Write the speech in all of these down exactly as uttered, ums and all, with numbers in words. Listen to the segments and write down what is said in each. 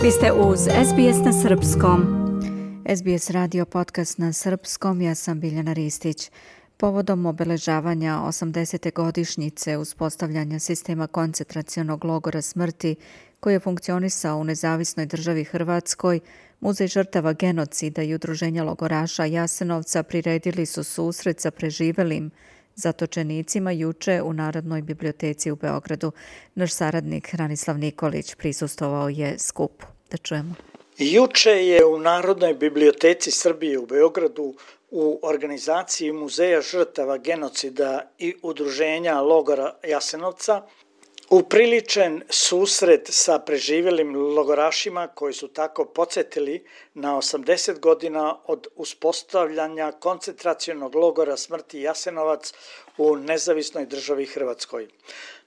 Vi ste uz S B S na srpskom. S B S radio podcast na srpskom, ja sam Biljana Ristić. Povodom obeležavanja osamdesete godišnjice uspostavljanja sistema koncentracionog logora smrti koji je funkcionisao u nezavisnoj državi Hrvatskoj, Muzej žrtava genocida i udruženja logoraša Jasenovca priredili su susret sa preživelim zatočenicima juče u Narodnoj biblioteci u Beogradu. Naš saradnik Ranislav Nikolić prisustvovao je skupu. Da čujemo. Juče je u Narodnoj biblioteci Srbije u Beogradu u organizaciji Muzeja žrtava genocida i udruženja logora Jasenovca upriličen susret sa preživelim logorašima koji su tako podsjetili na osamdeset godina od uspostavljanja koncentracionog logora smrti Jasenovac u nezavisnoj državi Hrvatskoj.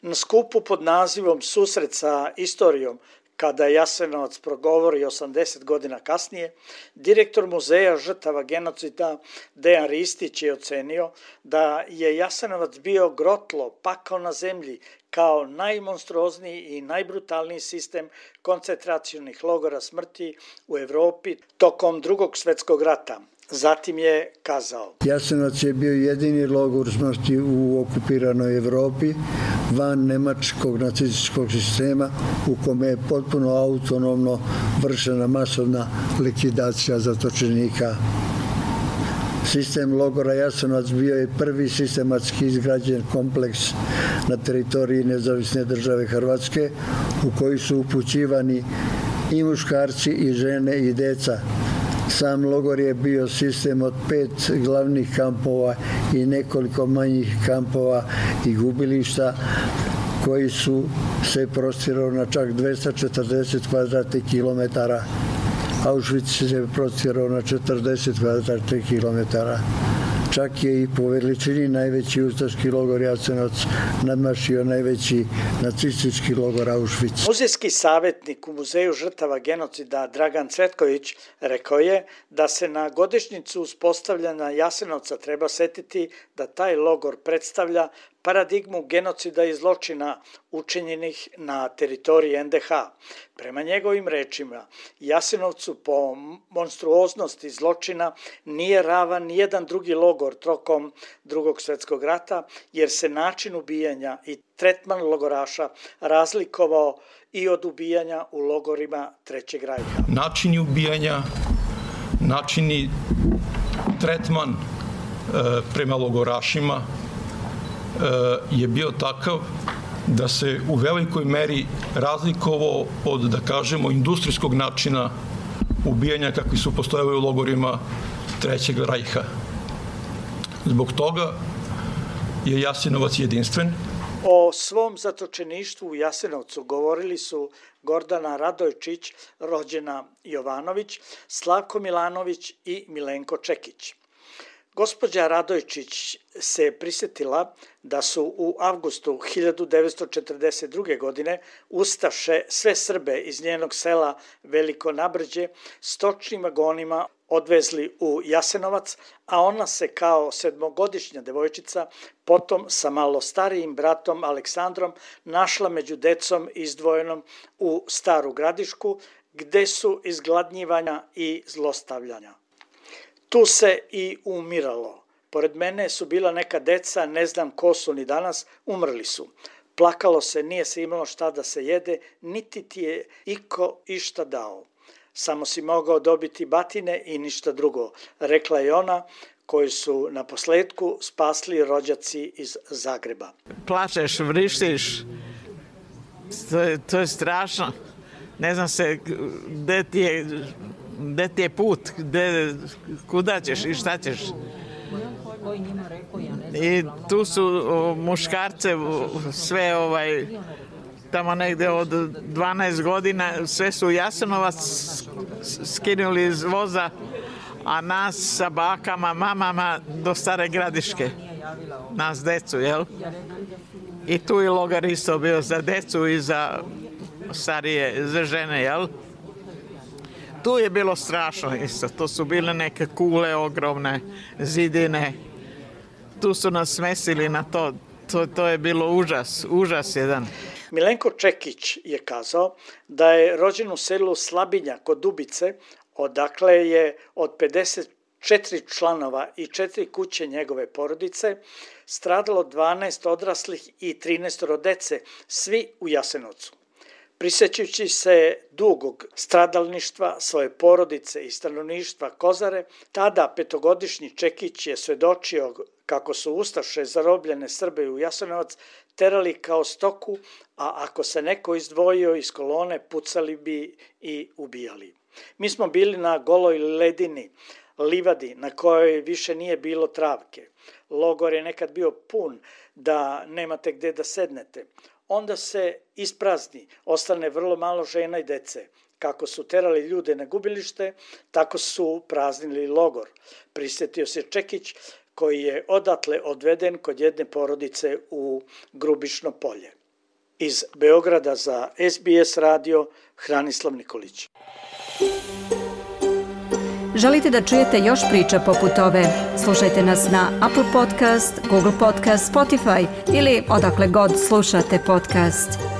Na skupu pod nazivom Susret sa istorijom, kada Jasenovac progovori osamdeset godina kasnije, direktor Muzeja žrtava genocida Dejan Ristić je ocenio da je Jasenovac bio grotlo, pakao na zemlji, kao najmonstruozniji i najbrutalniji sistem koncentracionih logora smrti u Evropi tokom Drugog svjetskog rata. Zatim je kazao: Jasenovac je bio jedini logor smrti u okupiranoj Evropi van nemačkog nacističkog sistema u kome je potpuno autonomno vršena masovna likvidacija zatočenika. Sistem logora Jasenovac bio je prvi sistematski izgrađen kompleks na teritoriji nezavisne države Hrvatske u koji su upućivani i muškarci i žene i deca. Sam logor je bio sistem od pet glavnih kampova i nekoliko manjih kampova i gubilišta koji su se prostirali na čak dvesta četrdeset kvadratnih kilometara. Auschwitz se prostirao na četrdeset kvadratnih kilometara. Čak je i po veličini najveći ustaški logor Jasenovac nadmašio najveći nacistički logor Auschwitz. Muzejski savjetnik u Muzeju žrtava genocida Dragan Cvetković rekao je da se na godišnjicu uspostavljanja Jasenovca treba setiti da taj logor predstavlja paradigmu genocida i zločina učinjenih na teritoriji en de ha. Prema njegovim rečima, Jasenovcu po monstruoznosti zločina nije ravan nijedan drugi logor tokom Drugog svjetskog rata, jer se način ubijanja i tretman logoraša razlikovao i od ubijanja u logorima Trećeg rajha. Načini ubijanja, načini tretman e, prema logorašima je bio takav da se u velikoj meri razlikovao od, da kažemo, industrijskog načina ubijanja kakvi su postojali u logorima Trećeg rajha. Zbog toga je Jasenovac jedinstven. O svom zatočeništvu u Jasenovcu govorili su Gordana Radojčić, rođena Jovanović, Slavko Milanović i Milenko Čekić. Gospođa Radojčić se prisjetila da su u avgustu hiljadu devetsto četrdeset druge. godine ustaše sve Srbe iz njenog sela Veliko Nabrđe stočnim vagonima odvezli u Jasenovac, a ona se kao sedmogodišnja devojčica potom sa malo starijim bratom Aleksandrom našla među decom izdvojenom u Staru Gradišku, gde su izgladnjivanja i zlostavljanja. Tu se i umiralo. Pored mene su bila neka deca, ne znam ko su ni danas, umrli su. Plakalo se, nije se imalo šta da se jede, niti ti je iko išta dao. Samo si mogao dobiti batine i ništa drugo, rekla je ona, koji su na posledku spasli rođaci iz Zagreba. Plačeš, vrištiš, to je, to je strašno. Ne znam se gde ti je, gde ti je put, gde, kuda ćeš i šta ćeš. I tu su o, muškarce sve ovaj tamo negde od dvanaest godina sve su Jasenovac skinuli iz voza, a nas sa bakama, mamama do Stare Gradiške, nas decu, jel? I tu je logor isto bio za decu i za starije, za žene, jel? Tu je bilo strašno isto, to su bile neke kule ogromne, zidine, tu su nas smesili na to, to, to je bilo užas, užas jedan. Milenko Čekić je kazao da je rođen u selu Slabinja kod Dubice, odakle je od pedeset četiri članova i četiri kuće njegove porodice stradalo dvanaest odraslih i trinaest dece, svi u Jasenovcu. Prisjećajući se dugog stradalništva svoje porodice i stanovništva Kozare, tada petogodišnji Čekić je svedočio kako su ustaše zarobljene Srbe u Jasenovac terali kao stoku, a ako se neko izdvojio iz kolone, pucali bi i ubijali. Mi smo bili na goloj ledini, livadi na kojoj više nije bilo travke. Logor je nekad bio pun da nemate gde da sednete. Onda se isprazni, ostane vrlo malo žena i dece. Kako su terali ljude na gubilište, tako su praznili logor. Prisjetio se Čekić, koji je odatle odveden kod jedne porodice u Grubišno polje. Iz Beograda za S B S radio, Hranislav Nikolić. Želite da čujete još priča poput ove? Slušajte nas na Apple Podcast, Google Podcast, Spotify ili odakle god slušate podcast.